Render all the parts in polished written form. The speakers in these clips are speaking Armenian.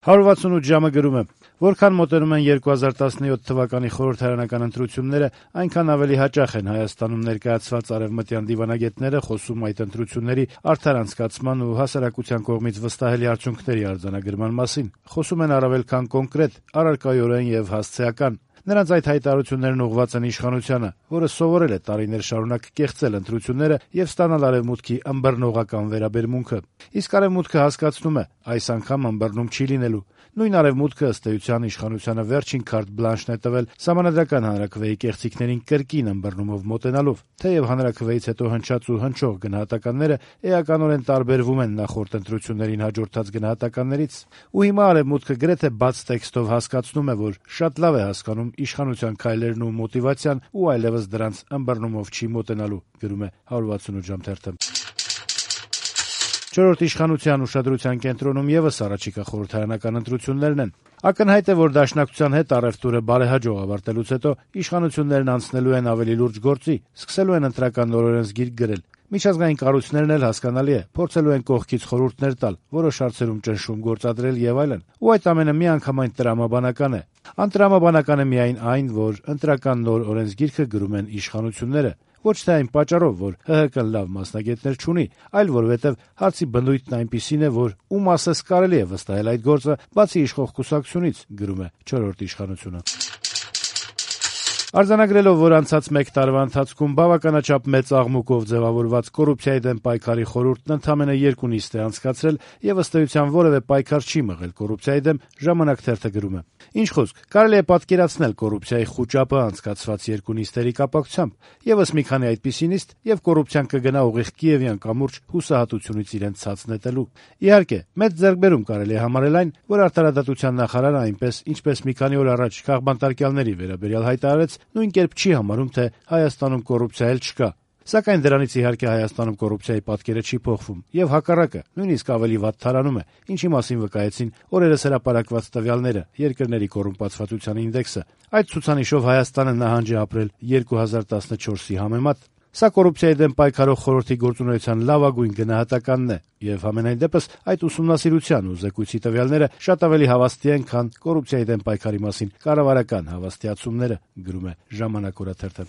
168 ժամը գրում է. որքան մոտենում են 2017 թվականի խորհրդարանական ընտրությունները, այնքան ավելի հաճախ են Հայաստանում ներկայացված արևմտյան դիվանագետները խոսում այդ ընտրությունների արդար անցկացման ու հասարակության կողմից վստահելի արդյունքների արձանագրման մասին։ Խոսում են առավել քան կոնկրետ, առարկայորեն եւ հասցեական։ Նրանց այդ հայտարարություններն ուղղված են իշխանությանը, որը սովորել է տարիներ շարունակ կեղծել ընտրությունները եւ ստանալ արևմուտքի ըմբռնողական վերաբերմունքը։ Իսկ արևմուտքը հասկացնում է, այս անգամ ըմբռնում չի լինելու։ Նույն արևմուտքը ըստ էության իշխանությանը վերջին քարտ բլանշն է տվել Սահմանադրական հանրաքվեի կեղծիքներին կրկին ըմբռնումով մոտենալով, թեև հանրաքվեից հետո հնչած ու հնչող գնահատականները էականորեն տարբերվում են նախորդ ընտրություններին հաջորդած գնահատականներից, ու հիմա արևմուտքը գրեթե բաց տեքստով հասկացնում է, որ շատ լավ է հասկանում իշխանության քայլերն ու մոտիվացիան ու այլևս դրանց ըմբռնումով չի մոտենալու, գրում է 168 ժամ թերթը։ Չորրորդ իշխանության ուշադրության կենտրոնում եւս առաջիկա խորհրդարանական ընտրություններն են։ Ակնհայտ է, որ Դաշնակցության հետ առևտուրը բարեհաջող ավարտելուց հետո իշխանություններն անցնելու են ավելի լուրջ գործի, սկսելու են ընտրական նոր օրենսգիր գրել։ Միջազգային կառույցներն էլ հասկանալի է, փորձելու են կողքից խորհուրդներ տալ, որոշ հարցերում ճնշում գործադրել եւ այլն։ Ու այդ ամենը միանգամայն տրամաբանական է։ Անտրամաբանական է միայն այն, որ ընտրական նոր օրենսգիրքը գրում են իշխանությունները։ Ոչ թե այն պատճառով, որ ՀՀԿ-ն լավ մասնագետներ չունի, այլ որովհետև հարցի բնույթն այնպիսին է, որ ում ասես կարելի է վստահել այդ գործը, բացի իշխող կուսակցությունից, գրում է չորրորդ իշխանությունը։ Արձանագրելով, որ անցած մեկ տարվա ընթացքում բավականաչափ մեծ աղմուկով ձևավորված կոռուպցիայի դեմ պայքարի խորհուրդն ընդամենը 2 նիստ է անցկացրել եւ ըստ էության որևէ պայքար չի մղել կոռուպցիայի դեմ, Ժամանակ թերթը գրում է. Ինչ խոսք, կարելի է պատկերացնել կոռուպցիայի խուճապը անցկացված 2 նիստերի կապակցությամբ, եւս մի քանի այդպիսի նիստ եւ կոռուպցիան կգնա ուղիղ Կիևյան կամուրջ հուսահատությունից իրեն ցած նետելու։ Իհարկե, մեծ ձեռքբերում կարելի է համարել այն, որ արտարադատության նախարարը այնպես, ինչպես մի քանի օր առաջ քաղբանտարկյալների վերաբերյալ հայտարարեց, նույն կերպ չի համարում, թե Հայաստանում կոռուպցիա էլ չկա։ Սակայն դրանից իհարկե Հայաստանում կոռուպցիայի պատկերը չի փոխվում, եւ հակառակը, նույնիսկ ավելի վատ թարանում է, ինչի մասին վկայեցին օրերս հրապարակված տվյալները, երկրների կոռումպացվածության ինդեքսը։ Այդ ցուցանիշով Հայաստանը նահանջ է ապրել 2014-ի համեմատ։ Սա կոռուպցիայի դեմ պայքարող խորհրդի գործունեության լավագույն գնահատականն է, եւ համենայն դեպս այդ ուսումնասիրության ու զեկույցի տվյալները շատ ավելի հավաստի են, քան կոռուպցիայի դեմ պայքարի մասին կառավարական հավաստիացումները, գրում է Ժամանակ օրաթերթը։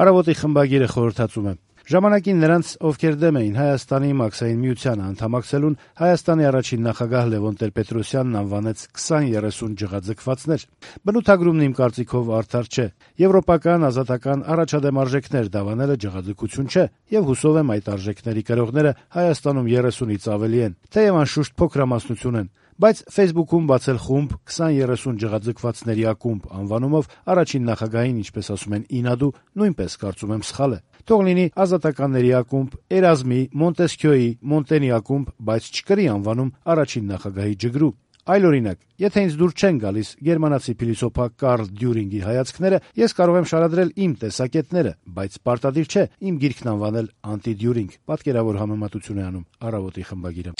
Առավոտի խմբագիրը խորհրդածում է. Ժամանակին նրանց, ովքեր դեմ էին Հայաստանի մաքսային միությանը անդամակցելուն, Հայաստանի առաջին նախագահ Լևոն Տեր-Պետրոսյանն անվանեց 20-30 ջղաձգվածներ։ Բնութագրումն իմ կարծիքով արդար չէ։ Եվրոպական, ազատական, առաջադեմ արժեքներ դավանելը ջղաձգություն չէ, եւ հուսով եմ այդ արժեքների կրողները Հայաստանում 30-ից ավելի են, թեև անշուշտ փոքրամասնություն են։ Բայց Facebook-ում բացել խումբ 20-30 ջղաձգվածների ակումբ անվանումով առաջին նախագահին, ինչպես ասում են, ինադու, նույնպես կարծում եմ սխալ է։ Թող լինի ազատականների ակումբ, Էրազմի, Մոնտեսքյոյի, Մոնտենի ակումբ, բայց չկրի անվանում առաջին նախագահի ջգրու։ Այլ օրինակ, եթե ինձ դուր չեն գալիս գերմանացի փիլիսոփա Կարլ Դյուրինգի հայացքները, ես կարող եմ շարադրել իմ տեսակետները, բայց պարտադիր չէ իմ գիրքն անվանել անտի-Դյուրինգ, պատկերավոր համեմատություն է անում Առավոտի խմբագիրը։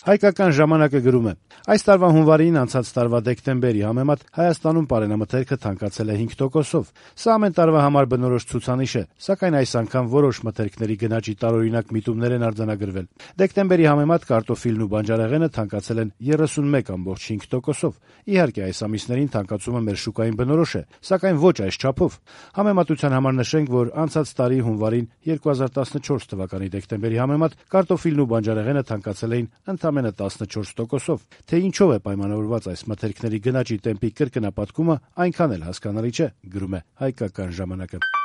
Հայկական ժամանակը գրում է. այս տարվա հունվարին անցած տարվա դեկտեմբերի համեմատ Հայաստանում պարենամթերքը թանկացել է 5%-ով։ Սա ամեն տարվա համար բնորոշ ցուցանիշ է, սակայն այս անգամ որոշ մթերքների գնաճի տարօրինակ միտումներ են արձանագրվել։ Դեկտեմբերի համեմատ կարտոֆիլն ու բանջարեղենը թանկացել են 31.5%-ով։ Իհարկե, այս ամիսներին թանկացումը մեր շուկային բնորոշ է, սակայն ոչ այս չափով։ Համեմատության համար նշենք, որ անցած տարի հունվարին 2014 թվականի դեկտեմբերի համեմատ կարտոֆիլն ու բանջարեղենը թանկացել էին ընդամենը 14%-ով։ Թե ինչով է պայմանավորված այս մթերքների գնաճի տեմպի կրկնապատկումը, այնքան էլ հասկանալի չէ, գրում է Հայկական ժամանակը։